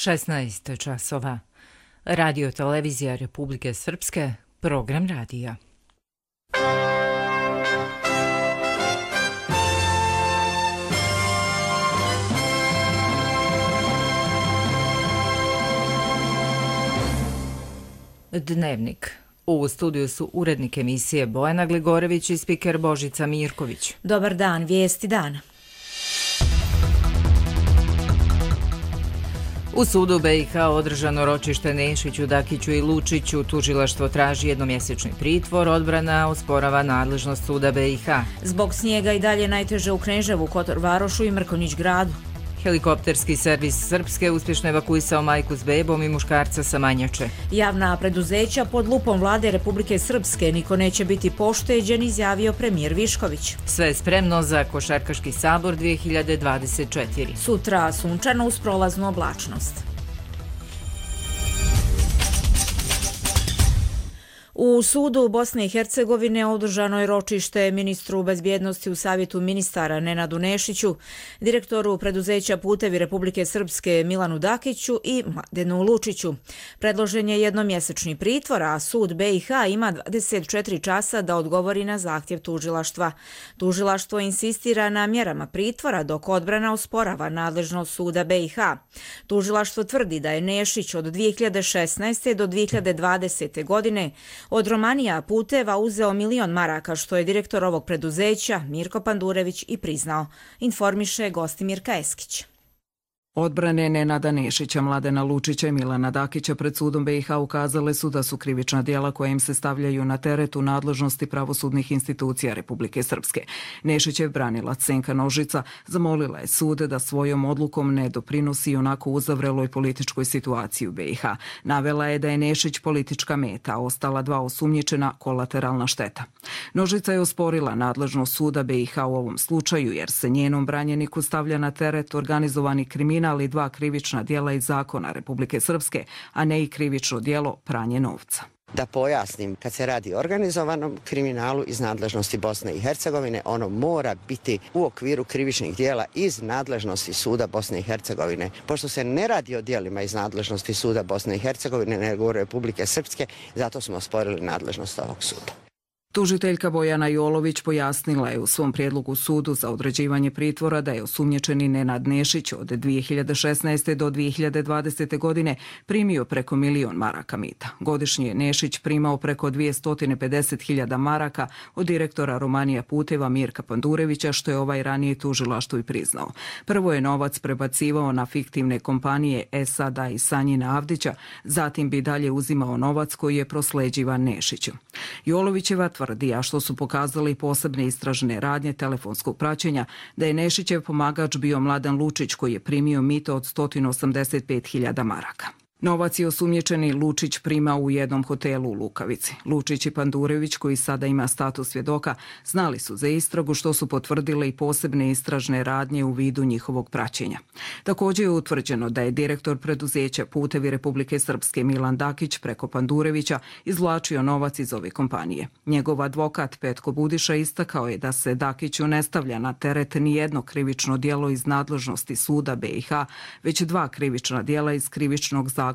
16 časova. Radio televizija Republike Srpske, program radija. Dnevnik. U studiju su urednik emisije Bojana Gligorović i spiker Božica Mirković. Dobar dan, vijesti dana. U sudu BiH održano ročište Nešiću, Dakiću i Lučiću. Tužilaštvo traži jednomjesečni pritvor, odbrana osporava nadležnost suda BiH. Zbog snijega i dalje najteže u Kneževu, Kotor Varošu i Mrkonjić gradu. Helikopterski servis Srpske uspješno evakuisao majku s bebom i muškarca sa Manjače. Javna preduzeća pod lupom vlade Republike Srpske, niko neće biti pošteđen, izjavio premijer Višković. Sve je spremno za Košarkaški sabor 2024. Sutra sunčano uz prolaznu oblačnost. U sudu Bosne i Hercegovine održano je ročište ministru bezbjednosti u Savjetu ministara Nenadu Nešiću, direktoru preduzeća Putevi Republike Srpske Milanu Dakiću i Mladenu Lučiću. Predložen je jednomjesečni pritvor, a sud BiH ima 24 časa da odgovori na zahtjev tužilaštva. Tužilaštvo insistira na mjerama pritvora dok odbrana osporava nadležnost suda BiH. Tužilaštvo tvrdi da je Nešić od 2016. do 2020. godine od Romanija Puteva uzeo 1 milion maraka, što je direktor ovog preduzeća Mirko Pandurević i priznao, informiše Gostimir Kaeskić. Odbrane Nenada Nešića, Mladena Lučića i Milana Dakića pred sudom BiH ukazale su da su krivična djela koja im se stavljaju na teret u nadležnosti pravosudnih institucija Republike Srpske. Nešićev branilac Senka Nožica zamolila je sud da svojom odlukom ne doprinosi onako uzavreloj političkoj situaciji u BiH. Navela je da je Nešić politička meta, a ostala 2 osumnjičena kolateralna šteta. Nožica je osporila nadležnost suda BiH u ovom slučaju jer se njenom branjeniku stavlja na teret organizovani kriminal ali 2 krivična djela iz zakona Republike Srpske, a ne i krivično djelo pranje novca. Da pojasnim, kad se radi o organizovanom kriminalu iz nadležnosti Bosne i Hercegovine, ono mora biti u okviru krivičnih djela iz nadležnosti suda Bosne i Hercegovine. Pošto se ne radi o djelima iz nadležnosti suda Bosne i Hercegovine, nego Republike Srpske, zato smo osporili nadležnost ovog suda. Tužiteljka Bojana Jolović pojasnila je u svom prijedlogu sudu za određivanje pritvora da je osumnjičeni Nenad Nešić od 2016. do 2020. godine primio preko 1 milion maraka mita. Godišnje je Nešić primao preko 250.000 maraka od direktora Romanija Puteva Mirka Pandurevića, što je ovaj ranije tužilaštvu i priznao. Prvo je novac prebacivao na fiktivne kompanije Esada i Sanjina Avdića, zatim bi dalje uzimao novac koji je prosleđivan Nešiću. Jolovićeva tvrdi, a što su pokazali posebne istražne radnje telefonskog praćenja, da je Nešićev pomagač bio Mladen Lučić koji je primio mito od 185.000 maraka. Novac je osumnjičeni Lučić primao u jednom hotelu u Lukavici. Lučić i Pandurević, koji sada ima status svjedoka, znali su za istragu, što su potvrdile i posebne istražne radnje u vidu njihovog praćenja. Također je utvrđeno da je direktor preduzeća Putevi Republike Srpske Milan Dakić preko Pandurevića izvlačio novac iz ove kompanije. Njegov advokat Petko Budiša istakao je da se Dakiću ne stavlja na teret ni jedno krivično djelo iz nadležnosti suda BiH, već 2 krivična djela iz krivičnog zakonika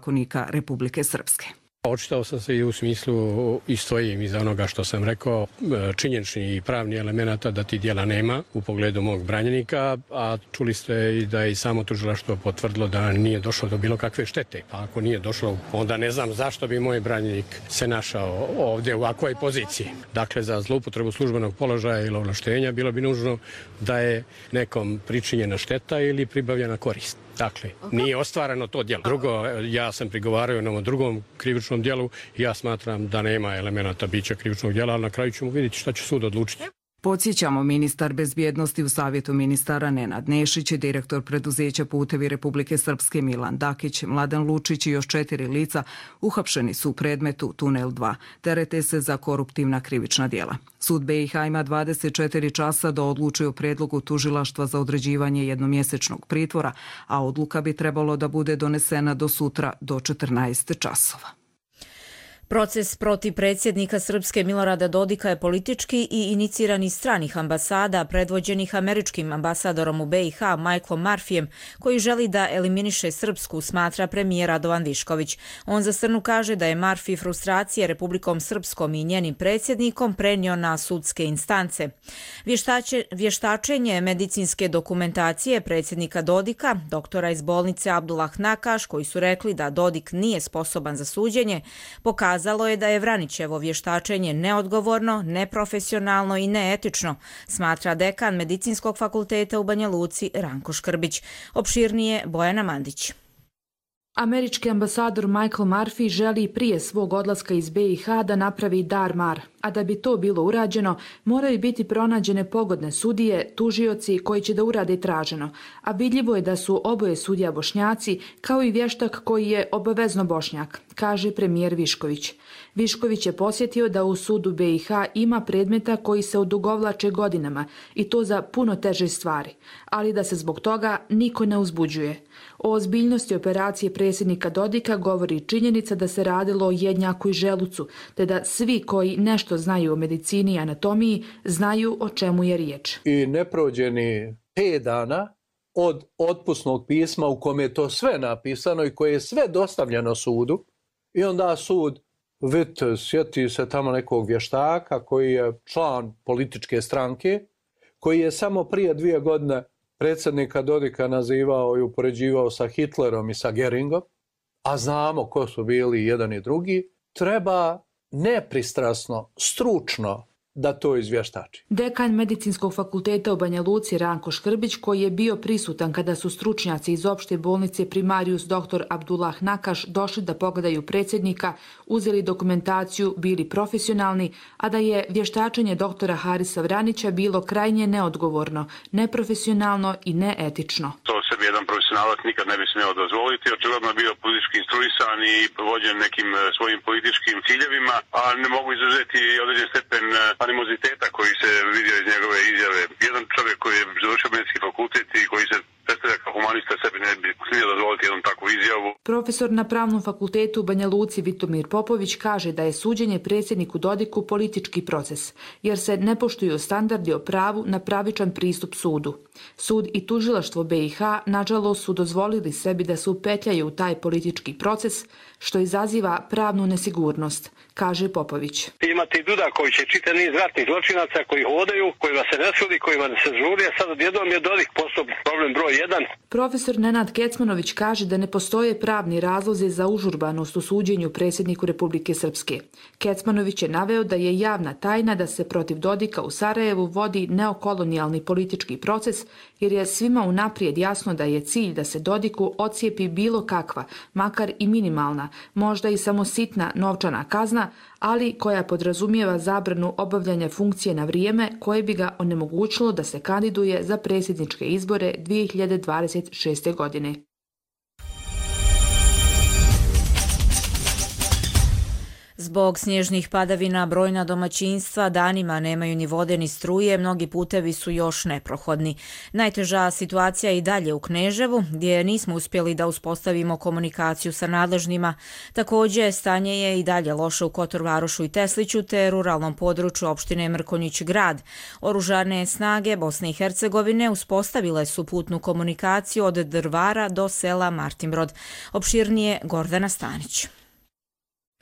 Republike Srpske. Očitao sam se i u smislu i stojim iza onoga što sam rekao, činjenični i pravni elemenata da ti djela nema u pogledu mog branjenika, a čuli ste i da je i samo tužilaštvo potvrdilo da nije došlo do bilo kakve štete. Pa ako nije došlo, onda ne znam zašto bi moj branjenik se našao ovdje u ovakvoj poziciji. Dakle, za zloupotrebu službenog položaja ili ovlaštenja bilo bi nužno da je nekom pričinjena šteta ili pribavljena korist. Dakle, nije ostvareno to djelo. Drugo, ja sam prigovarao na ovom drugom krivičnom djelu i ja smatram da nema elemenata bića krivičnog djela, ali na kraju ćemo vidjeti šta će sud odlučiti. Podsjećamo, ministar bezbjednosti u Savjetu ministara Nenad Nešić, direktor preduzeća Putevi Republike Srpske Milan Dakić, Mladen Lučić i još 4 lica uhapšeni su u predmetu Tunel 2. Terete se za koruptivna krivična djela. Sud BiH ima 24 časa da odluči o predlogu tužilaštva za određivanje jednomjesečnog pritvora, a odluka bi trebalo da bude donesena do sutra do 14 časova. Proces protiv predsjednika Srpske Milorada Dodika je politički i iniciran iz stranih ambasada, predvođenih američkim ambasadorom u BiH Michaelom Murphyjem, koji želi da eliminiše Srpsku, smatra premijer Radovan Višković. On za Strnu kaže da je Murphy frustracije Republikom Srpskom i njenim predsjednikom prenio na sudske instance. Vještačenje medicinske dokumentacije predsjednika Dodika, doktora iz bolnice Abdullah Nakaš, koji su rekli da Dodik nije sposoban za suđenje, pokazalo je da je Vranićevo vještačenje neodgovorno, neprofesionalno i neetično, smatra dekan Medicinskog fakulteta u Banja Luci Ranko Škrbić. Opširnije Bojana Mandić. Američki ambasador Michael Murphy želi prije svog odlaska iz BiH da napravi dar-mar, a da bi to bilo urađeno, moraju biti pronađene pogodne sudije, tužioci koji će da urade traženo, a vidljivo je da su oboje sudija Bošnjaci, kao i vještak koji je obavezno Bošnjak, kaže premijer Višković. Višković je posjetio da u sudu BiH ima predmeta koji se odugovlače godinama i to za puno teže stvari, ali da se zbog toga niko ne uzbuđuje. O ozbiljnosti operacije predsjednika Dodika govori činjenica da se radilo o jednjaku i želucu, te da svi koji nešto znaju o medicini i anatomiji znaju o čemu je riječ. I ne prođe ni 5 dana od otpusnog pisma u kome je to sve napisano i koje je sve dostavljeno sudu i onda sud sjeti se tamo nekog vještaka koji je član političke stranke, koji je samo prije 2 godine predsjednika Dodika nazivao i upoređivao sa Hitlerom i sa Geringom, a znamo ko su bili jedan i drugi, treba nepristrasno, stručno da to izvještači. Dekan Medicinskog fakulteta u Banja Luci Ranko Škrbić, koji je bio prisutan kada su stručnjaci iz opšte bolnice Primarius dr. Abdullah Nakaš došli da pogledaju predsjednika, uzeli dokumentaciju, bili profesionalni, a da je vještačenje doktora Harisa Vranića bilo krajnje neodgovorno, neprofesionalno i neetično. To sebi jedan profesionalac nikad ne bi smio dozvoliti. Očigledno je bio politički instruisan i vođen nekim svojim političkim ciljevima, a ne mogu izuzeti određen stepen animoziteta koji se vidio iz njegove izjave. Jedan čovjek koji je završio medicinski fakultet i koji se predstavlja kao humanista sebi ne bi smio dozvoliti jednu takvu izjavu. Profesor na Pravnom fakultetu u Banja Luci Vitomir Popović kaže da je suđenje predsjedniku Dodiku politički proces, jer se ne poštuju standardi o pravu na pravičan pristup sudu. Sud i tužilaštvo BiH nažalost su dozvolili sebi da se upetljaju u taj politički proces, što izaziva pravnu nesigurnost, kaže Popović. Imate i Duda koji će čitav niz ratnih zločinaca koji hodaju, kojima se ne sudi, kojima se žuri, a sad odjednom je Dodik postao problem broj 1. Profesor Nenad Kecmanović kaže da ne postoje pravni razlozi za užurbanost u suđenju predsjedniku Republike Srpske. Kecmanović je naveo da je javna tajna da se protiv Dodika u Sarajevu vodi neokolonijalni politički proces, jer je svima unaprijed jasno da je cilj da se Dodiku ocijepi bilo kakva, makar i minimalna, možda i samo sitna novčana kazna, ali koja podrazumijeva zabranu obavljanja funkcije na vrijeme koje bi ga onemogućilo da se kandiduje za predsjedničke izbore 2026. godine. Zbog snježnih padavina brojna domaćinstva danima nemaju ni vode ni struje, mnogi putevi su još neprohodni. Najteža situacija je i dalje u Kneževu, gdje nismo uspjeli da uspostavimo komunikaciju sa nadležnima. Također, stanje je i dalje loše u Kotor Varošu i Tesliću te ruralnom području opštine Mrkonjić grad. Oružane snage Bosne i Hercegovine uspostavile su putnu komunikaciju od Drvara do sela Martinbrod. Opširnije Gordana Stanić.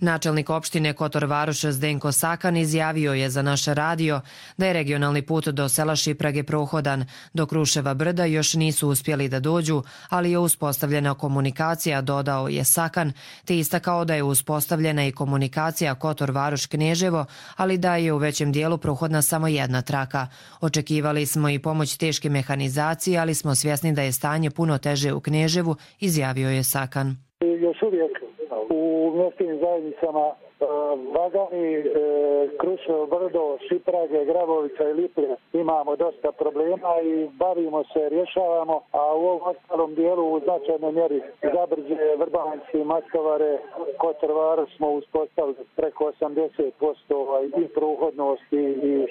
Načelnik opštine Kotor Varoš Zdenko Sakan izjavio je za naš radio da je regionalni put do sela Šiprage prohodan, do Kruševa brda još nisu uspjeli da dođu, ali je uspostavljena komunikacija, dodao je Sakan, te istakao da je uspostavljena i komunikacija Kotor Varoš Kneževo, ali da je u većem dijelu prohodna samo jedna traka. Očekivali smo i pomoć teške mehanizacije, ali smo svjesni da je stanje puno teže u Kneževu, izjavio je Sakan. Još uvijek u mjestim zajednicama Vagani, Kruševo brdo, Šiprage, Grabovica i Liplje imamo dosta problema i bavimo se, rješavamo, a u ovom ostalom dijelu u značajnoj mjeri Zabrđe, Vrbanci, Maskovare, Kotor Varoš smo uspostavili preko 80% i prohodnost i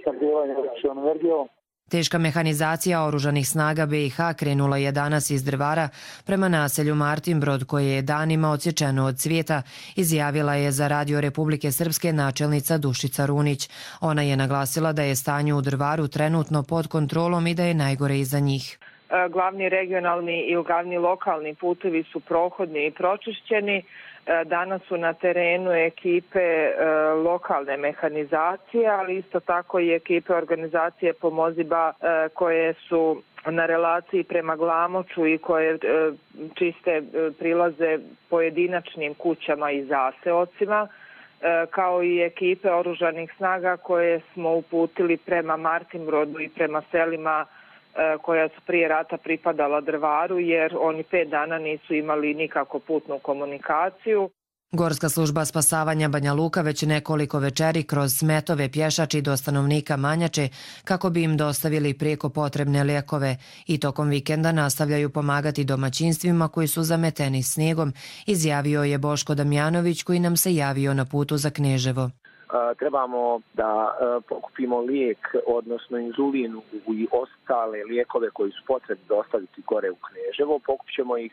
snabdijevanje električnom energijom. Teška mehanizacija oružanih snaga BiH krenula je danas iz Drvara prema naselju Martinbrod, koje je danima odsječeno od cvijeta, izjavila je za Radio Republike Srpske načelnica Dušica Runić. Ona je naglasila da je stanje u Drvaru trenutno pod kontrolom i da je najgore iza njih. Glavni regionalni i glavni lokalni putevi su prohodni i pročišćeni. Danas su na terenu ekipe lokalne mehanizacije, ali isto tako i ekipe organizacije Pomoziba koje su na relaciji prema Glamoču i koje čiste prilaze pojedinačnim kućama i zaseocima, kao i ekipe oružanih snaga koje smo uputili prema Martinbrodu i prema selima koja su prije rata pripadala Drvaru, jer oni 5 dana nisu imali nikako putnu komunikaciju. Gorska služba spasavanja Banja Luka već nekoliko večeri kroz smetove pješači do stanovnika Manjače kako bi im dostavili prijeko potrebne lijekove i tokom vikenda nastavljaju pomagati domaćinstvima koji su zameteni snijegom, izjavio je Boško Damjanović koji nam se javio na putu za Kneževo. Trebamo da pokupimo lijek, odnosno inzulinu i ostale lijekove koji su potrebni dostaviti gore u Kneževo. Pokupit ćemo ih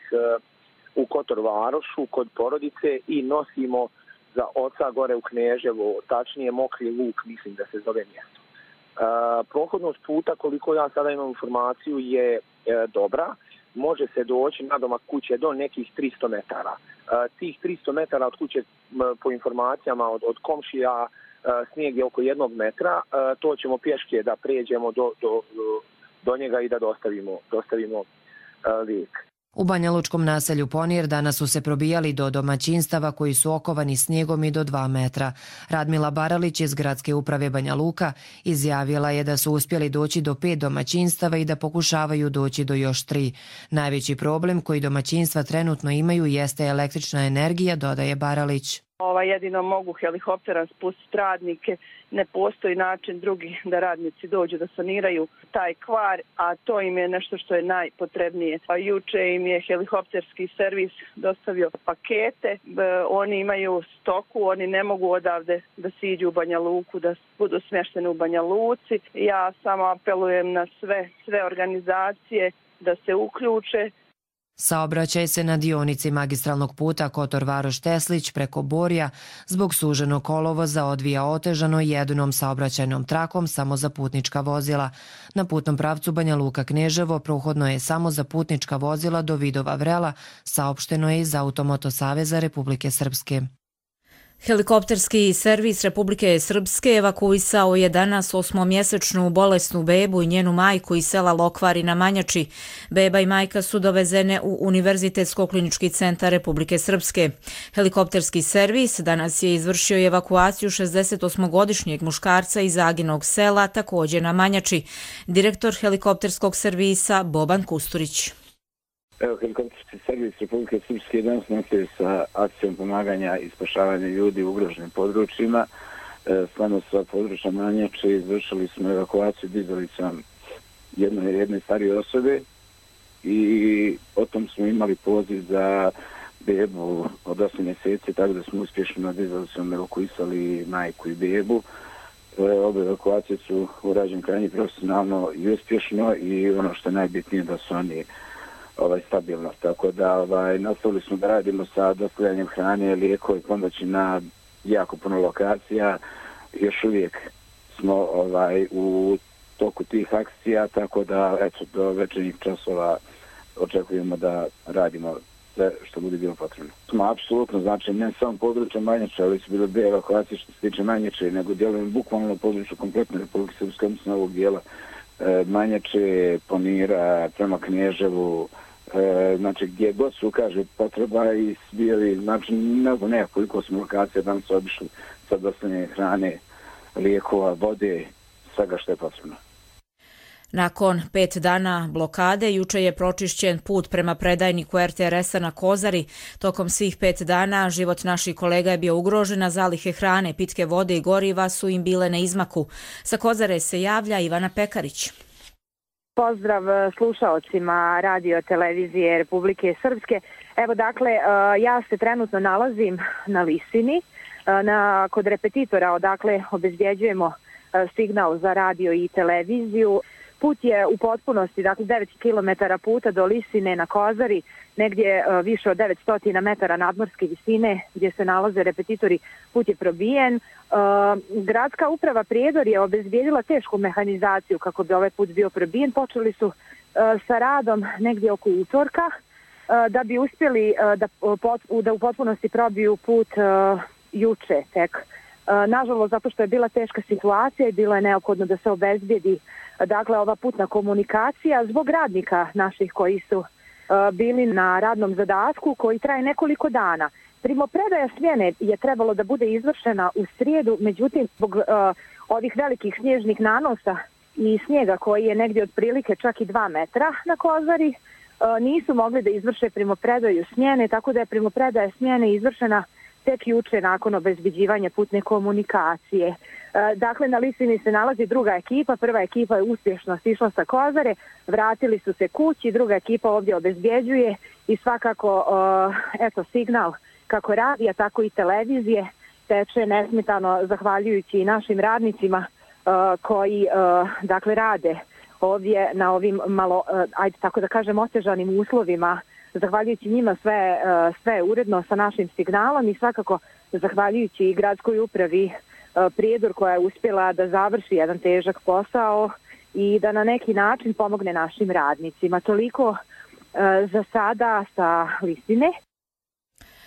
u Kotor Varošu kod porodice i nosimo za oca gore u Kneževo, tačnije Mokri Luk, mislim da se zove mjesto. Prohodnost puta, koliko ja sada imam informaciju, je dobra. Može se doći na domak kuće do nekih 300 metara. Tih 300 metara od kuće, po informacijama od komšija, snijeg je oko 1 metra. To ćemo pješke da pređemo do njega i da dostavimo lijek. U banjalučkom naselju Ponir danas su se probijali do domaćinstava koji su okovani snijegom i do 2 metra. Radmila Baralić iz Gradske uprave Banja Luka izjavila je da su uspjeli doći do 5 domaćinstava i da pokušavaju doći do još 3. Najveći problem koji domaćinstva trenutno imaju jeste električna energija, dodaje Baralić. Jedino mogu helikoptera spustiti radnike, ne postoji način drugi da radnici dođu da saniraju taj kvar, a to im je nešto što je najpotrebnije. Juče im je helikopterski servis dostavio pakete, oni imaju stoku, oni ne mogu odavde da siđu u Banja Luku, da budu smješteni u Banja Luci. Ja samo apelujem na sve organizacije da se uključe. Saobraćaj se na dionici magistralnog puta Kotor Varoš-Teslić preko Borja zbog suženog kolovoza odvija otežano jednom saobraćajnom trakom samo za putnička vozila. Na putnom pravcu Banja Luka-Kneževo prohodno je samo za putnička vozila do Vidova Vrela, saopšteno je iz Automoto Saveza Republike Srpske. Helikopterski servis Republike Srpske evakuisao je danas 8-mjesečnu bolesnu bebu i njenu majku iz sela Lokvari na Manjači. Beba i majka su dovezene u Univerzitetsko-klinički centar Republike Srpske. Helikopterski servis danas je izvršio evakuaciju 68-godišnjeg muškarca iz Aginog sela, također na Manjači. Direktor helikopterskog servisa Boban Kusturić. Helikopterski servis Republike Srpske danas nastavio sa akcijom pomaganja i spašavanja ljudi u ugroženim područjima. Stvarno sva područja Manjače izvršili smo evakuaciju dizalicom jedne starije osobe i potom smo imali poziv za bebu od 8 mjeseci, tako da smo uspješno na dizalicom evakuisali majku i bebu. Obe evakuacije su urađene krajnje profesionalno i uspješno i ono što je najbitnije da su oni stabilno, tako da nastavili smo da radimo sa dostavljanjem hrane, lijekova i pomoći na jako puno lokacija. Još uvijek smo u toku tih akcija, tako da do večernjih časova očekujemo da radimo sve što bude bilo potrebno. Smo apsolutno, znači ne samo područje Manjače, ali su bile 2 evakuacije što se tiče Manjače, nego djelujemo bukvalno na području kompletne Republike Srpske, odnosno ovog dijela Manjače, Ponira, prema Kneževu, znači gdje god se ukaže potreba i bili, znači ne znam koliko smo lokacija danas obišli sa dostavljanje hrane, lijekova, vode, svega što je potrebno. Nakon 5 dana blokade, juče je pročišćen put prema predajniku RTRS-a na Kozari. Tokom svih 5 dana život naših kolega je bio ugrožen, a zalihe hrane, pitke vode i goriva su im bile na izmaku. Sa Kozare se javlja Ivana Pekarić. Pozdrav slušaocima radio televizije Republike Srpske. Evo dakle, ja se trenutno nalazim na Lisini, kod repetitora odakle obezbjeđujemo signal za radio i televiziju. Put je u potpunosti, dakle 9 km puta do Lisine na Kozari, negdje više od 900 metara nadmorske visine gdje se nalaze repetitori, put je probijen. Gradska uprava Prijedor je obezbijedila tešku mehanizaciju kako bi ovaj put bio probijen. Počeli su sa radom negdje oko utorka da bi uspjeli da u potpunosti probiju put juče tek. Nažalost, zato što je bila teška situacija i bilo je neophodno da se obezbijedi dakle ova putna komunikacija zbog radnika naših koji su bili na radnom zadatku koji traje nekoliko dana. Primopredaja smjene je trebalo da bude izvršena u srijedu, međutim zbog ovih velikih snježnih nanosa i snijega koji je negdje otprilike čak i 2 metra na Kozari, nisu mogli da izvrše primopredaju smjene, tako da je primopredaja smjene izvršena tek juče nakon obezbeđivanja putne komunikacije. Dakle, na Lisini se nalazi druga ekipa, prva ekipa je uspješno sišla sa Kozare, vratili su se kući, druga ekipa ovdje obezbjeđuje i svakako signal kako radija, tako i televizije teče nesmetano zahvaljujući i našim radnicima koji dakle rade ovdje na ovim malo, ajde tako da kažem, otežanim uslovima. Zahvaljujući njima sve je uredno sa našim signalom i svakako zahvaljujući i gradskoj upravi Prijedor koja je uspjela da završi jedan težak posao i da na neki način pomogne našim radnicima. Toliko za sada sa Lisine.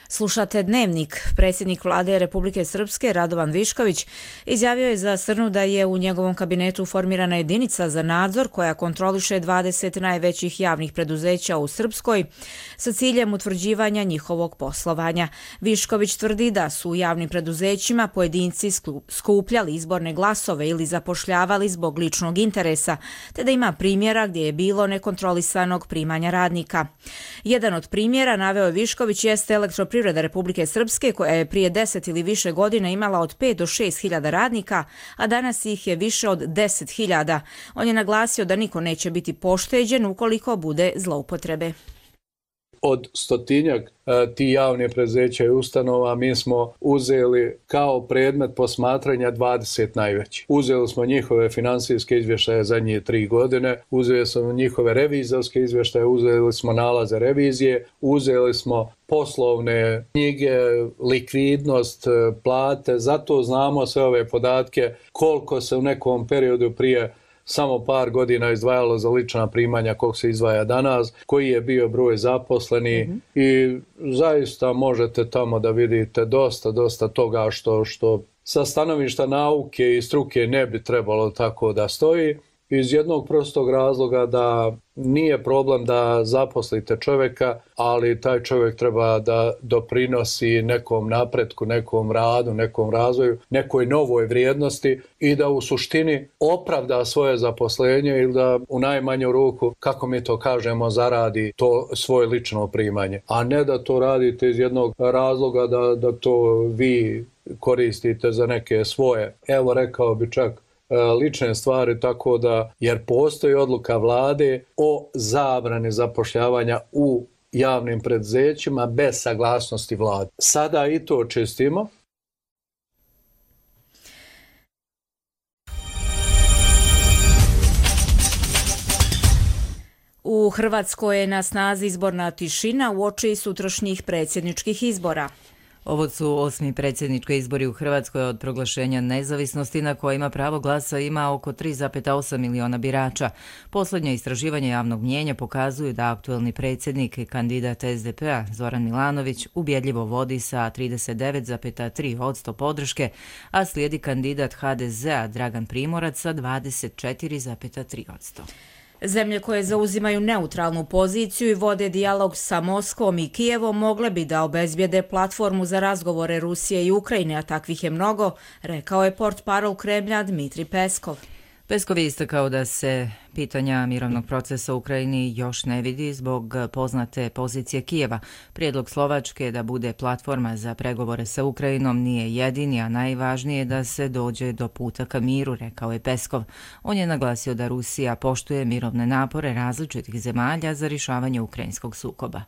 Slušate Dnevnik. Predsjednik vlade Republike Srpske Radovan Višković izjavio je za Srnu da je u njegovom kabinetu formirana jedinica za nadzor koja kontroliše 20 najvećih javnih preduzeća u Srpskoj sa ciljem utvrđivanja njihovog poslovanja. Višković tvrdi da su u javnim preduzećima pojedinci skupljali izborne glasove ili zapošljavali zbog ličnog interesa, te da ima primjera gdje je bilo nekontrolisanog primanja radnika. Jedan od primjera, naveo Višković, jeste Elektroprivreda Republike Srpske koja je prije 10 ili više godina imala od 5 do 6 hiljada radnika, a danas ih je više od 10 hiljada. On je naglasio da niko neće biti pošteđen ukoliko bude zloupotrebe. Od 100-tinjak ti javnih preduzeća i ustanova mi smo uzeli kao predmet posmatranja 20 najvećih. Uzeli smo njihove finansijske izvještaje zadnje 3 godine, uzeli smo njihove revizorske izvještaje, uzeli smo nalaze revizije, uzeli smo poslovne knjige, likvidnost, plate, zato znamo sve ove podatke koliko se u nekom periodu prije samo par godina izdvajalo za lična primanja, koliko se izdvaja danas, koji je bio broj zaposleni i zaista možete tamo da vidite dosta toga što sa stanovišta nauke i struke ne bi trebalo tako da stoji. Iz jednog prostog razloga da nije problem da zaposlite čovjeka, ali taj čovjek treba da doprinosi nekom napretku, nekom radu, nekom razvoju, nekoj novoj vrijednosti i da u suštini opravda svoje zaposlenje ili da u najmanju ruku, kako mi to kažemo, zaradi to svoje lično primanje. A ne da to radite iz jednog razloga da to vi koristite za neke svoje, evo rekao bi čak, lične stvari, tako da, jer postoji odluka vlade o zabrani zapošljavanja u javnim preduzećima bez saglasnosti vlade. Sada i to čistimo. U Hrvatskoj je na snazi izborna tišina uoči sutrašnjih predsjedničkih izbora. Ovo su 8. predsjednički izbori u Hrvatskoj od proglašenja nezavisnosti na kojima pravo glasa ima oko 3,8 miliona birača. Posljednje istraživanje javnog mnijenja pokazuju da aktuelni predsjednik i kandidat SDP-a Zoran Milanović ubjedljivo vodi sa 39,3% podrške, a slijedi kandidat HDZ-a Dragan Primorac sa 24,3%. Zemlje koje zauzimaju neutralnu poziciju i vode dijalog sa Moskvom i Kijevom mogle bi da obezbijede platformu za razgovore Rusije i Ukrajine, a takvih je mnogo, rekao je portparol Kremlja Dmitrij Peskov. Peskov je istakao da se pitanja mirovnog procesa u Ukrajini još ne vidi zbog poznate pozicije Kijeva. Prijedlog Slovačke da bude platforma za pregovore sa Ukrajinom nije jedini, a najvažnije je da se dođe do puta ka miru, rekao je Peskov. On je naglasio da Rusija poštuje mirovne napore različitih zemalja za rješavanje ukrajinskog sukoba.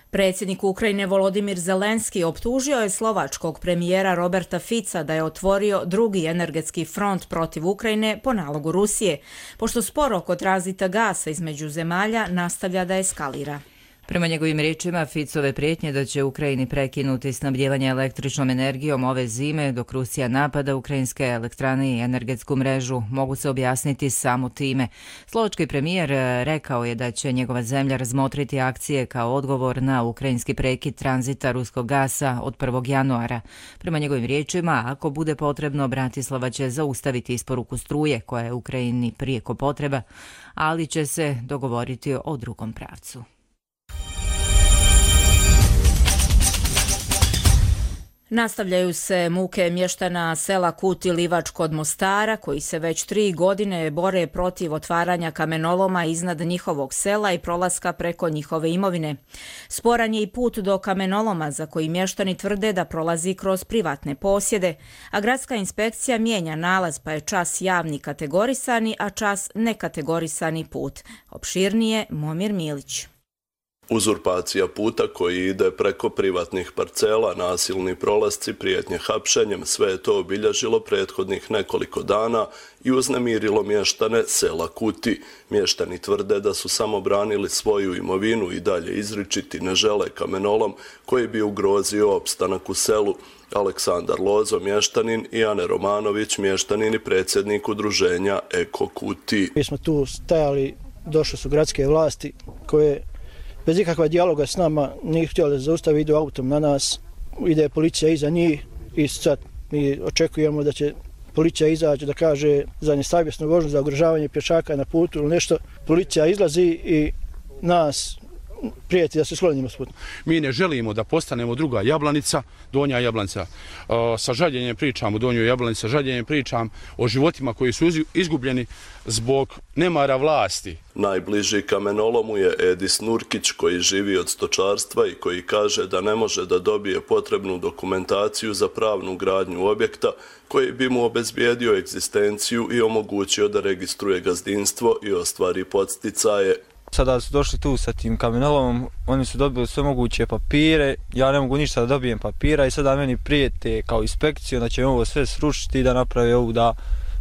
Predsjednik Ukrajine Volodimir Zelenski optužio je slovačkog premijera Roberta Fica da je otvorio drugi energetski front protiv Ukrajine po nalogu Rusije, pošto spor oko tranzita gasa između zemalja nastavlja da eskalira. Prema njegovim riječima, Ficove prijetnje da će Ukrajini prekinuti snabdijevanje električnom energijom ove zime dok Rusija napada ukrajinske elektrane i energetsku mrežu mogu se objasniti samo time. Slovački premijer rekao je da će njegova zemlja razmotriti akcije kao odgovor na ukrajinski prekid tranzita ruskog gasa od 1. januara. Prema njegovim riječima, ako bude potrebno, Bratislava će zaustaviti isporuku struje koja je Ukrajini prijeko potreba, ali će se dogovoriti o drugom pravcu. Nastavljaju se muke mještana sela Kut i Livač kod Mostara, koji se već 3 godine bore protiv otvaranja kamenoloma iznad njihovog sela i prolaska preko njihove imovine. Sporan je i put do kamenoloma, za koji mještani tvrde da prolazi kroz privatne posjede, a gradska inspekcija mijenja nalaz, pa je čas javni kategorisani, a čas nekategorisani put. Opširnije Momir Milić. Uzurpacija puta koji ide preko privatnih parcela, nasilni prolasci, prijetnje hapšenjem, sve je to obilježilo prethodnih nekoliko dana i uznemirilo mještane sela Kuti. Mještani tvrde da su samo branili svoju imovinu i dalje izričiti ne žele kamenolom koji bi ugrozio opstanak u selu. Aleksandar Lozo, mještanin, i Ane Romanović, mještanin i predsjednik udruženja Eko Kuti. Mi smo tu stajali, došle su gradske vlasti koje bez ikakva dijaloga s nama nije htjeli da zaustavi, idu autom na nas, ide policija iza njih i sad mi očekujemo da će policija izaći da kaže za nesavjesnu vožnju, za ugrožavanje pješaka na putu ili nešto. Policija izlazi i nas prijeti da se sklonimo s putem. Mi ne želimo da postanemo druga Jablanica, Donja Jablanica. Sa žaljenjem pričam o Donjoj Jablanici, sa žaljenjem pričam o životima koji su izgubljeni zbog nemara vlasti. Najbliži kamenolomu je Edis Nurkić, koji živi od stočarstva i koji kaže da ne može da dobije potrebnu dokumentaciju za pravnu gradnju objekta koji bi mu obezbijedio egzistenciju i omogućio da registruje gazdinstvo i ostvari podsticaje. Sada su došli tu sa tim kamenolomom, oni su dobili sve moguće papire, ja ne mogu ništa da dobijem papira i sada meni prijete kao inspekciju da će ovo sve srušiti i da naprave ovu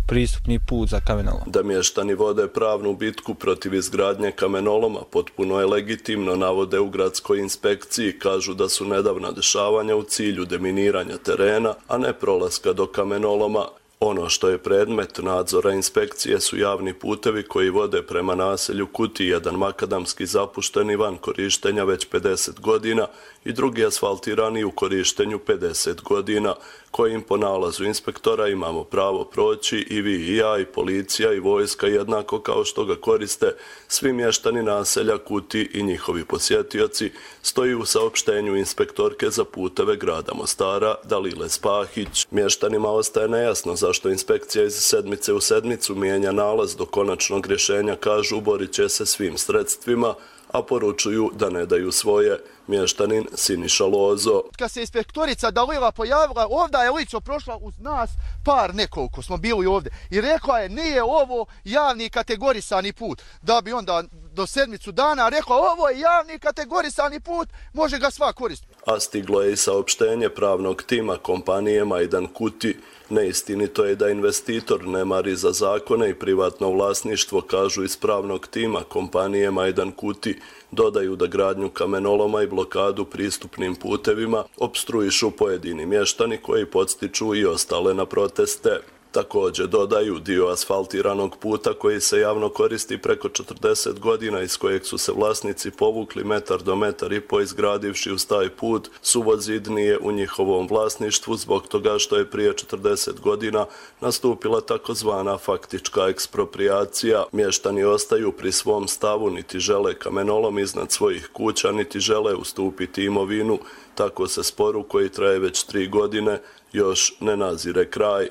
pristupni put za kamenolom. Da mještani vode pravnu bitku protiv izgradnje kamenoloma potpuno je legitimno, navode u gradskoj inspekciji, kažu da su nedavna dešavanja u cilju deminiranja terena, a ne prolaska do kamenoloma. Ono što je predmet nadzora inspekcije su javni putevi koji vode prema naselju Kuti, jedan makadamski zapušteni van korištenja već 50 godina i drugi asfaltirani u korištenju 50 godina, kojim po nalazu inspektora imamo pravo proći i vi i ja i policija i vojska jednako kao što ga koriste svi mještani naselja Kuti i njihovi posjetioci, stoji u saopštenju inspektorke za puteve grada Mostara Dalile Spahić. Mještanima ostaje nejasno zašto inspekcija iz sedmice u sedmicu mijenja nalaz do konačnog rješenja, kažu borit će se svim sredstvima, a poručuju da ne daju svoje. Mještanin Siniša Lozo. Kad se inspektorica Dalila pojavila, ovdje je lično prošla uz nas par nekoliko, smo bili ovdje, i rekla je nije ovo javni kategorisani put. Da bi onda do sedmicu dana rekla ovo je javni kategorisani put, može ga sva koristiti. A stiglo je i saopštenje pravnog tima kompanije Majdan Kuti. Neistinito je da investitor ne mari za zakone i privatno vlasništvo, kažu iz pravnog tima kompanije Majdan Kuti. Dodaju da gradnju kamenoloma i blokadu pristupnim putevima opstruišu pojedini mještani koji podstiču i ostale na proteste. Također dodaju dio asfaltiranog puta koji se javno koristi preko 40 godina, iz kojeg su se vlasnici povukli metar do metar i po izgradivši uz taj put, suvozid nije u njihovom vlasništvu zbog toga što je prije 40 godina nastupila takozvana faktička ekspropriacija. Mještani ostaju pri svom stavu, niti žele kamenolom iznad svojih kuća, niti žele ustupiti imovinu. Tako se sporu koji traje već 3 godine još ne nazire kraj.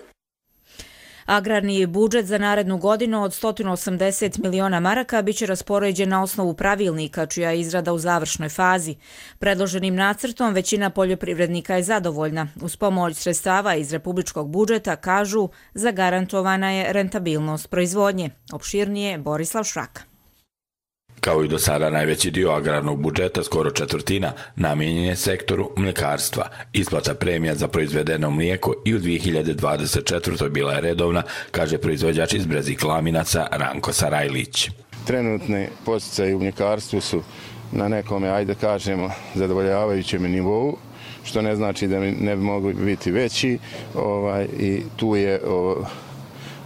Agrarni budžet za narednu godinu od 180 miliona maraka biće raspoređen na osnovu pravilnika, čija je izrada u završnoj fazi. Predloženim nacrtom većina poljoprivrednika je zadovoljna. Uz pomoć sredstava iz republičkog budžeta, kažu, zagarantovana je rentabilnost proizvodnje. Opširnije Borislav Šraka. Kao i do sada, najveći dio agrarnog budžeta, skoro četvrtina, namijenjen je sektoru mljekarstva. Isplata premija za proizvedeno mlijeko i u 2024. bila je redovna, kaže proizvođač iz Brezig Laminaca Ranko Sarajlić. Trenutni podsticaji u mljekarstvu su na nekome, ajde kažemo, zadovoljavajućem nivou, što ne znači da ne bi mogli biti veći, i tu je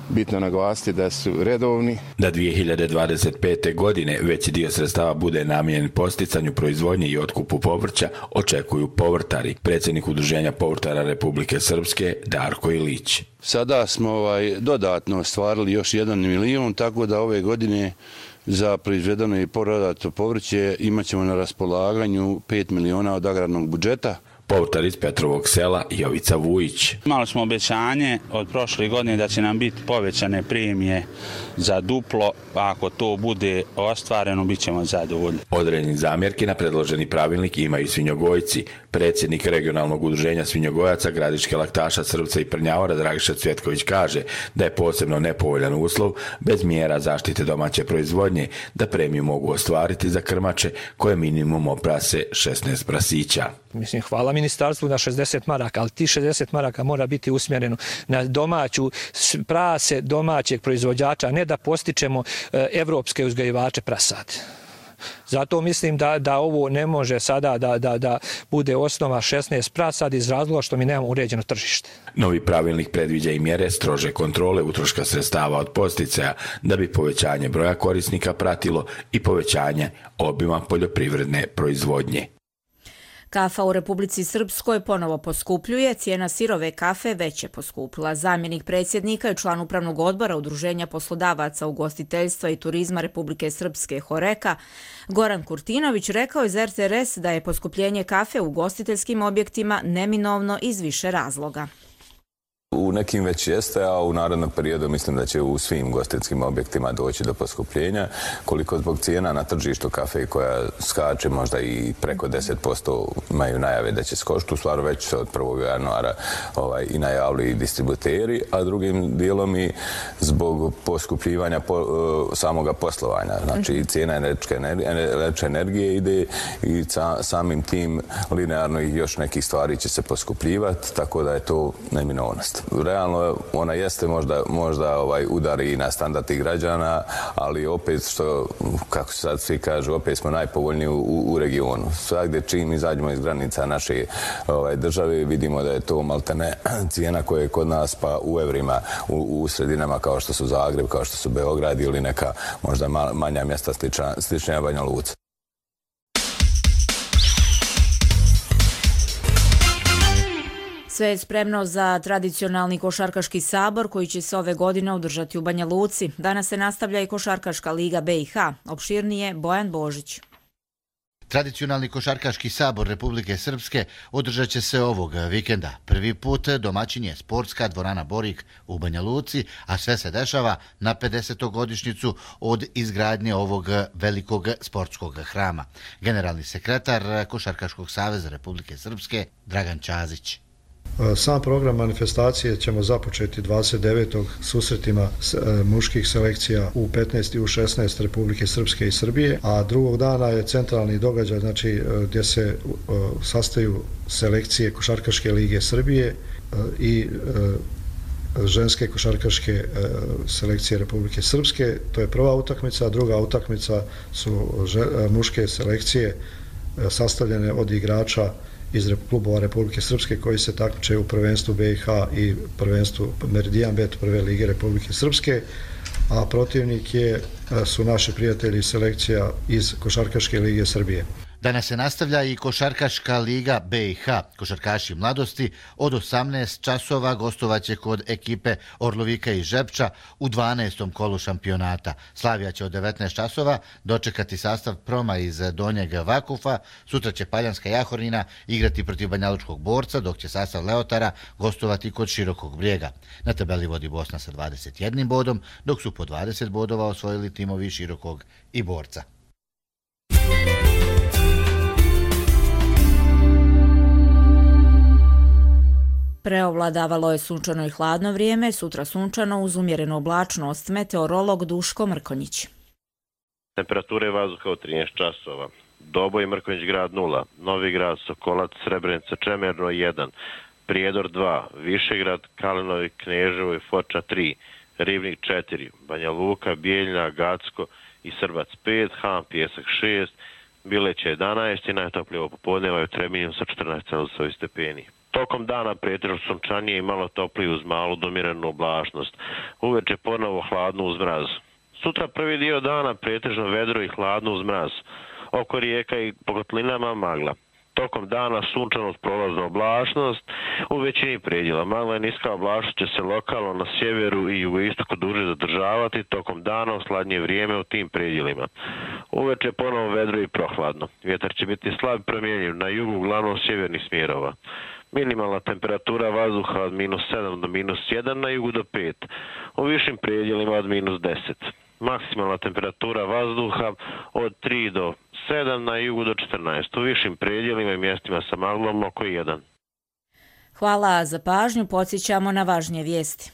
bitno naglasiti da su redovni. Da 2025. godine veći dio sredstava bude namijenjen podsticanju proizvodnje i otkupu povrća, očekuju povrtari. Predsjednik Udruženja povrtara Republike Srpske Darko Ilić. Sada smo dodatno ostvarili još 1 milion, tako da ove godine za proizvedeno i prodato povrće imat ćemo na raspolaganju 5 miliona od agrarnog budžeta. Povrtar iz Petrovog sela Jovica Vujić. Imali smo obećanje od prošle godine da će nam biti povećane premije za duplo, pa ako to bude ostvareno, bit ćemo zadovoljni. Određeni zamjerki na predloženi pravilnik imaju i svinjogojci. Predsjednik regionalnog udruženja svinjogojaca Gradiške laktaša Srpca i Prnjavora Dragiša Cvjetković kaže da je posebno nepovoljan uslov bez mjera zaštite domaće proizvodnje da premiju mogu ostvariti za krmače koje minimum oprase 16 prasića. Mislim, hvala ministarstvu na 60 maraka, ali ti 60 maraka mora biti usmjereno na domaću prase domaćeg proizvođača, ne da postičemo evropske uzgajivače prasadi. Zato mislim da ovo ne može sada da bude osnova 16 prasadi iz razloga što mi nemamo uređeno tržište. Novi pravilnik predviđa i mjere strože kontrole utroška sredstava od podsticaja da bi povećanje broja korisnika pratilo i povećanje obima poljoprivredne proizvodnje. Kafa u Republici Srpskoj ponovo poskupljuje, cijena sirove kafe već je poskupila. Zamjenik predsjednika i član upravnog odbora Udruženja poslodavaca ugostiteljstva i turizma Republike Srpske Horeka, Goran Kurtinović, rekao iz RTS da je poskupljenje kafe u ugostiteljskim objektima neminovno iz više razloga. U nekim već jeste, a u narednom periodu mislim da će u svim ugostiteljskim objektima doći do poskupljenja. Koliko zbog cijena na tržištu kafe koja skače možda i preko 10% imaju najave da će skočiti, u stvari već se od 1. januara i najavili i distributeri, a drugim dijelom i zbog poskupljivanja samoga poslovanja. Znači cijena električne energije ide i samim tim linearno i još nekih stvari će se poskupljivati, tako da je to neminovnost. Realno ona jeste možda udari na standard građana, ali opet što, kako se sad svi kažu, opet smo najpovoljniji u regionu. Svakdje čim izađemo iz granica naše države vidimo da je to maltene cijena koja je kod nas pa u evrima u sredinama kao što su Zagreb, kao što su Beograd ili neka možda manja mjesta sličnija Banja Luka. Sve je spremno za tradicionalni košarkaški sabor koji će se ove godine održati u Banja Luci. Danas se nastavlja i Košarkaška liga BiH. Opširnije Bojan Božić. Tradicionalni košarkaški sabor Republike Srpske održat će se ovog vikenda. Prvi put domaćin je sportska dvorana Borik u Banja Luci, a sve se dešava na 50. godišnjicu od izgradnje ovog velikog sportskog hrama. Generalni sekretar Košarkaškog saveza Republike Srpske Dragan Ćazić. Sam program manifestacije ćemo započeti 29. susretima muških selekcija U15 i U16 Republike Srpske i Srbije, a drugog dana je centralni događaj, znači gdje se sastaju selekcije Košarkaške lige Srbije i ženske košarkaške selekcije Republike Srpske. To je prva utakmica, a druga utakmica su muške selekcije sastavljene od igrača iz klubova Republike Srpske koji se takmiče u prvenstvu BiH i prvenstvu Meridijan Bet prve lige Republike Srpske, a protivnik su naši prijatelji selekcija iz Košarkaške lige Srbije. Danas se nastavlja i Košarkaška liga BiH. Košarkaši mladosti od 18 časova gostovaće kod ekipe Orlovika i Žepča u 12. kolu šampionata. Slavija će od 19 časova dočekati sastav Proma iz Donjeg Vakufa. Sutra će Paljanska Jahornina igrati protiv Banjalučkog Borca, dok će sastav Leotara gostovati kod Širokog Brijega. Na tabeli vodi Bosna sa 21 bodom, dok su po 20 bodova osvojili timovi Širokog i Borca. Preovladavalo je sunčano i hladno vrijeme, sutra sunčano uz umjerenu oblačnost, meteorolog Duško Mrkonjić. Temperature vazduha od 13 časova. Doboj Mrkonjić grad 0, Novi grad, Sokolac, Srebrenica, Čemerno 1, Prijedor 2, Višegrad, Kalinovi, Kneževo i Foča 3, Ribnik 4, Banja Luka, Bijeljina, Gacko i Srbac 5, Han Pjesak 6, Bileća 11 i najtoplije ovo popodneva je u Trebinju sa 14 stepeni. Tokom dana pretežno sunčanije i malo toplije uz malu domirenu oblačnost. Uveče ponovo hladno uz mraz. Sutra prvi dio dana pretežno vedro i hladno uz mraz. Oko rijeka i po kotlinama magla. Tokom dana sunčanost, prolazna oblačnost, u većini predjela. Magla i niska oblačnost će se lokalno na sjeveru i jugoistoku duže zadržavati, tokom dana u sladnje vrijeme u tim predjelima. Uveče ponovo vedro i prohladno. Vjetar će biti slab promjenjiv na jugu uglavnom sjevernih smjerova. Minimalna temperatura vazduha od -7 do -1, na jugu do 5, u višim predjelima od -10. Maksimalna temperatura vazduha od 3 do 7, na jugu do 14, u višim predjelima i mjestima sa maglom oko 1. Hvala za pažnju, podsjećamo na važnije vijesti.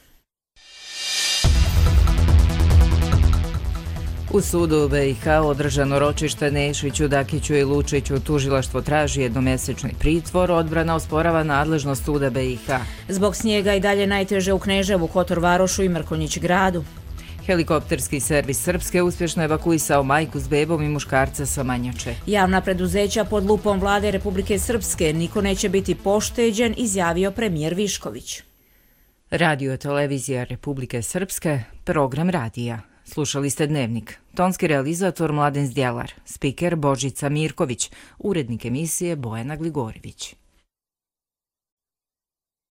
U sudu BiH održano ročište Nešiću, Dakiću i Lučiću. Tužilaštvo traži jednomjesečni pritvor, odbrana osporava nadležnost suda BiH. Zbog snijega i dalje najteže u Kneževu, Kotor Varošu i Mrkonjić gradu. Helikopterski servis Srpske uspješno evakuisao majku s bebom i muškarca sa Manjače. Javna preduzeća pod lupom vlade Republike Srpske, niko neće biti pošteđen, izjavio premijer Višković. Radio televizija Republike Srpske, program radija. Slušali ste Dnevnik. Tonski realizator Mladen Zdjelar, spiker Božica Mirković, urednik emisije Bojana Gligorivić.